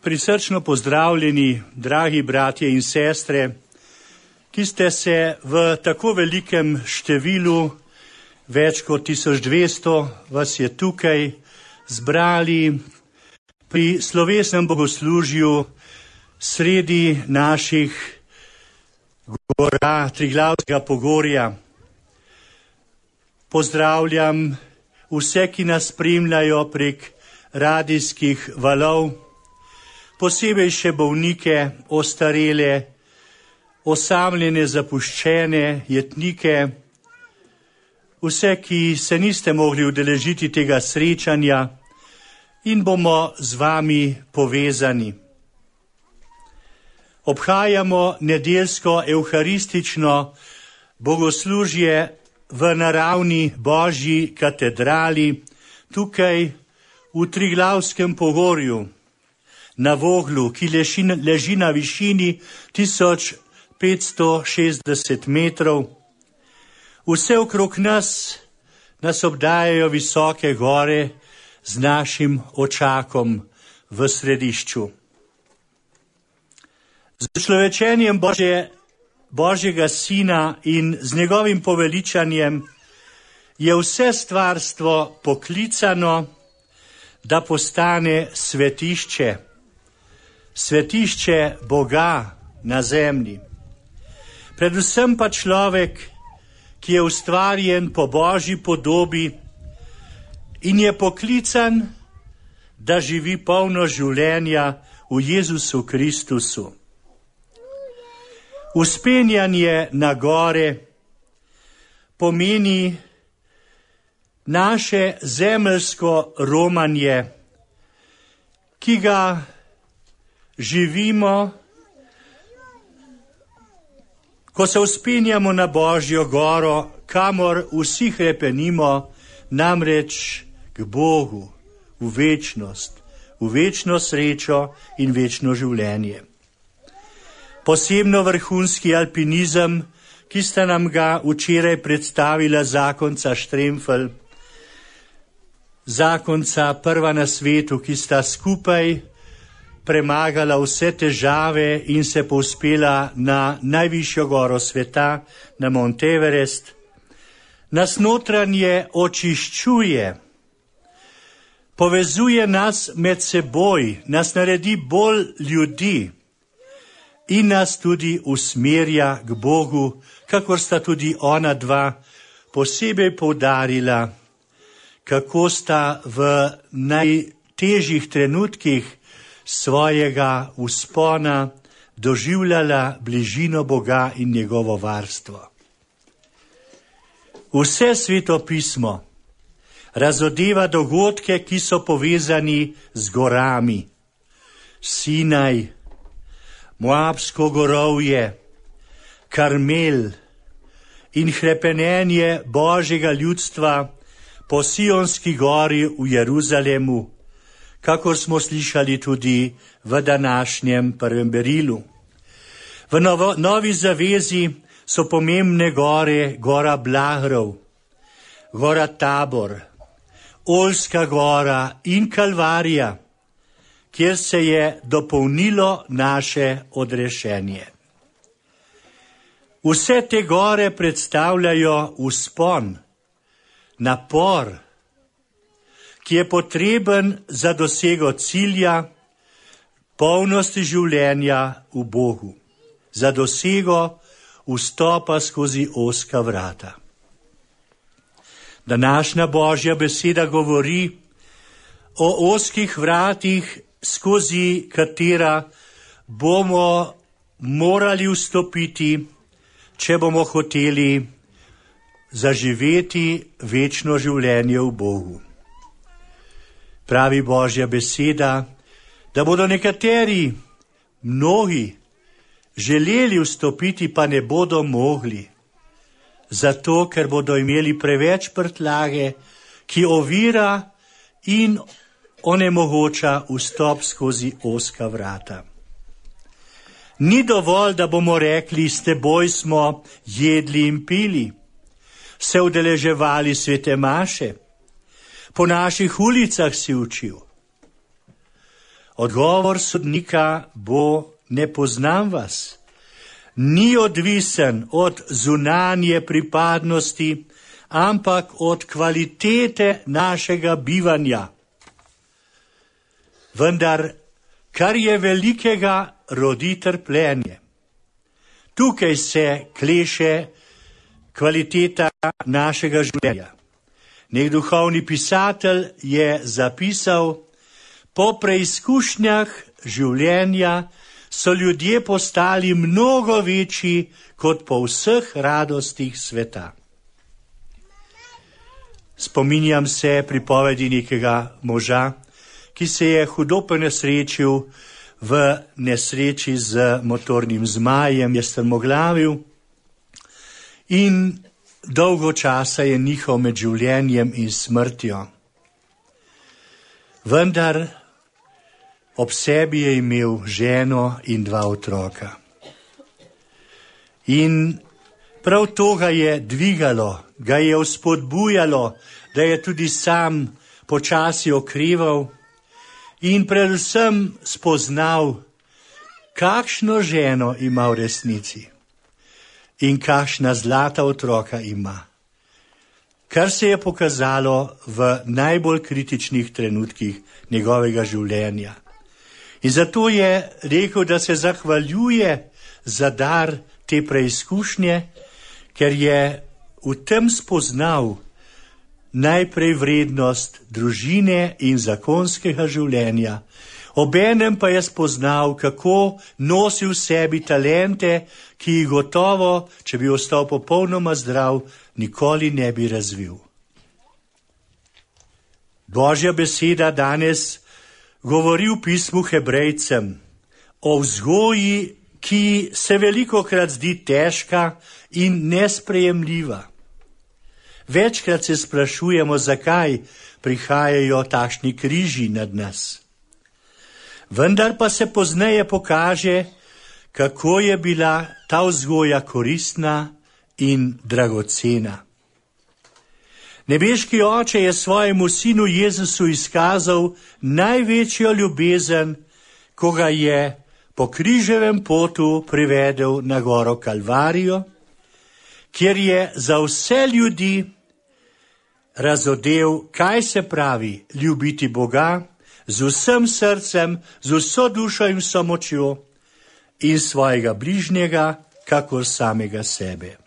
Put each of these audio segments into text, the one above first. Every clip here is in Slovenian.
Prisrčno pozdravljeni, dragi bratje in sestre, ki ste se v tako velikem številu, več kot 1200 vas je tukaj, zbrali pri slovesnem bogoslužju sredi naših gora Triglavskega pogorja. Pozdravljam vse, ki nas spremljajo prek radijskih valov, posebej še bolnike, ostarele, osamljene, zapuščene, jetnike, vse, ki se niste mogli udeležiti tega srečanja in bomo z vami povezani. Obhajamo nedeljsko evharistično bogoslužje v naravni Božji katedrali, tukaj v Triglavskem pogorju, na Voglu, ki leži na višini 1560 metrov. Vse okrog nas obdajajo visoke gore z našim očakom v središču. Z človečenjem Božjega Sina in z njegovim poveličanjem je vse stvarstvo poklicano, da postane svetišče Boga na zemlji. Predvsem pa človek, ki je ustvarjen po Božji podobi in je poklican, da živi polno življenja v Jezusu Kristusu. Vzpenjanje na gore pomeni naše zemeljsko romanje, ki ga živimo, ko se vzpenjamo na Božjo goro, kamor vsi hrepenimo, namreč k Bogu, v večno srečo in večno življenje. Posebno vrhunski alpinizem, ki sta nam ga včeraj predstavila zakonca Štremfelj, zakonca prva na svetu, ki sta skupaj premagala vse težave in se povzpela na najvišjo goro sveta, na Mount Everest, nas notranje očiščuje, povezuje nas med seboj, nas naredi bolj ljudi in nas tudi usmerja k Bogu, kakor sta tudi ona dva posebej poudarila, kako sta v najtežjih trenutkih svojega vzpona doživljala bližino Boga in njegovo varstvo. Vse Sveto pismo razodeva dogodke, ki so povezani z gorami. Sinaj, Moabsko gorovje, Karmel in hrepenenje Božjega ljudstva po Sionski gori v Jeruzalemu, kakor smo slišali tudi v današnjem prvem berilu. V Novi zavezi so pomembne gore, gora Blahrov, gora Tabor, Oljska gora in Kalvarija, kjer se je dopolnilo naše odrešenje. Vse te gore predstavljajo vzpon, napor, ki je potreben za dosego cilja, polnosti življenja v Bogu, za dosego vstopa skozi ozka vrata. Današnja Božja beseda govori o ozkih vratih, skozi katera bomo morali vstopiti, če bomo hoteli zaživeti večno življenje v Bogu. Pravi Božja beseda, da bodo nekateri, mnogi, želeli vstopiti, pa ne bodo mogli, zato ker bodo imeli preveč prtljage, ki ovira in onemogoča vstop skozi ozka vrata. Ni dovolj, da bomo rekli, s teboj smo jedli in pili, se udeleževali svete maše, po naših ulicah si učil. Odgovor sodnika bo: ne poznam vas. Ni odvisen od zunanje pripadnosti, ampak od kvalitete našega bivanja. Vendar, kar je velikega, rodi trpljenje. Tukaj se kleše kvaliteta našega življenja. Nek duhovni pisatelj je zapisal: po preizkušnjah življenja so ljudje postali mnogo večji kot po vseh radostih sveta. Spominjam se pripovedi nekega moža, ki se je hudo ponesrečil v nesreči z motornim zmajem, je strmoglavil in dolgo časa je nihal med življenjem in smrtjo. Vendar ob sebi je imel ženo in 2 otroka. In prav to ga je dvigalo, ga je vzpodbujalo, da je tudi sam počasi okreval in predvsem spoznal, kakšno ženo ima v resnici in kakšna zlata otroka ima, kar se je pokazalo v najbolj kritičnih trenutkih njegovega življenja. In zato je rekel, da se zahvaljuje za dar te preizkušnje, ker je v tem spoznal najprej vrednost družine in zakonskega življenja, obenem pa je spoznal, kako nosi v sebi talente, ki jih gotovo, če bi ostal popolnoma zdrav, nikoli ne bi razvil. Božja beseda danes govori v pismu Hebrejcem o vzgoji, ki se velikokrat zdi težka in nesprejemljiva. Večkrat se sprašujemo, zakaj prihajajo takšni križi nad nas. Vendar pa se pozneje pokaže, kako je bila ta vzgoja koristna in dragocena. Nebeški Oče je svojemu sinu Jezusu izkazal največjo ljubezen, ko ga je po križevem potu privedel na goro Kalvarijo, kjer je za vse ljudi razodel, kaj se pravi ljubiti Boga z vsem srcem, z vso dušo in vso močjo in svojega bližnjega, kakor samega sebe.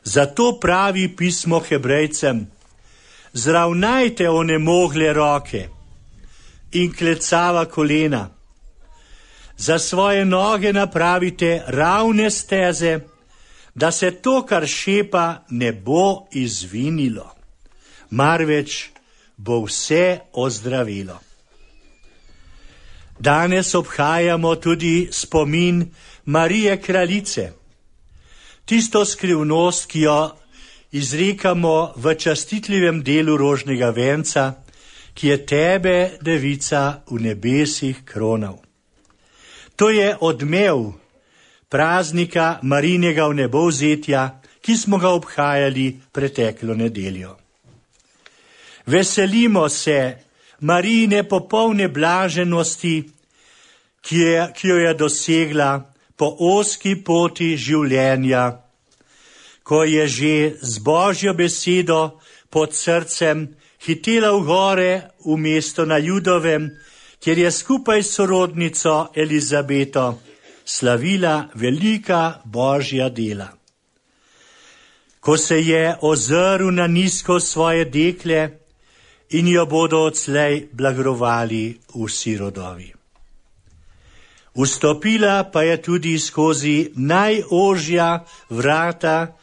Zato pravi pismo Hebrejcem: zravnajte onemogle roke in klecava kolena. Za svoje noge napravite ravne steze, da se to, kar šepa, ne bo izvinilo, marveč bo vse ozdravilo. Danes obhajamo tudi spomin Marije Kraljice, tisto skrivnost, ki jo izrekamo v častitljivem delu rožnega venca, ki je tebe, devica, v nebesih kronal. To je odmev praznika Marijinega vnebovzetja, ki smo ga obhajali preteklo nedeljo. Veselimo se Marijine popolne blaženosti, ki jo je dosegla po ozki poti življenja, ko je že z Božjo besedo pod srcem hitela v gore v mesto na Judovem, kjer je skupaj s sorodnico Elizabeto slavila velika Božja dela. Ko se je ozrl na nizko svoje dekle in jo bodo odslej blagrovali vsi rodovi. Vstopila pa je tudi skozi najožja vrata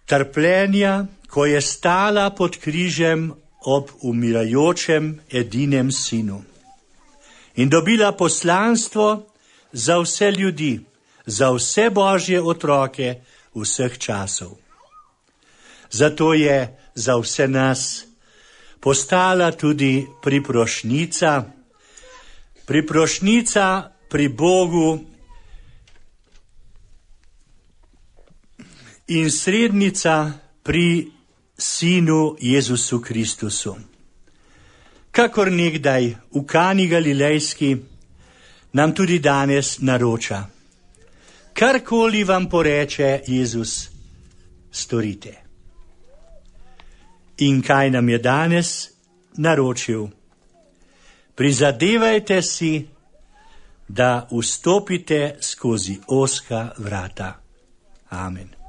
trpljenja, ko je stala pod križem ob umirajočem edinem sinu. In dobila poslanstvo za vse ljudi, za vse Božje otroke vseh časov. Zato je za vse nas postala tudi priprošnica pri Bogu in srednica pri Sinu Jezusu Kristusu. kakor nekdaj v Kani Galilejski, nam tudi danes naroča. Karkoli vam poreče Jezus, storite. In kaj nam je danes naročil? Prizadevajte si, da vstopite skozi ozka vrata. Amen.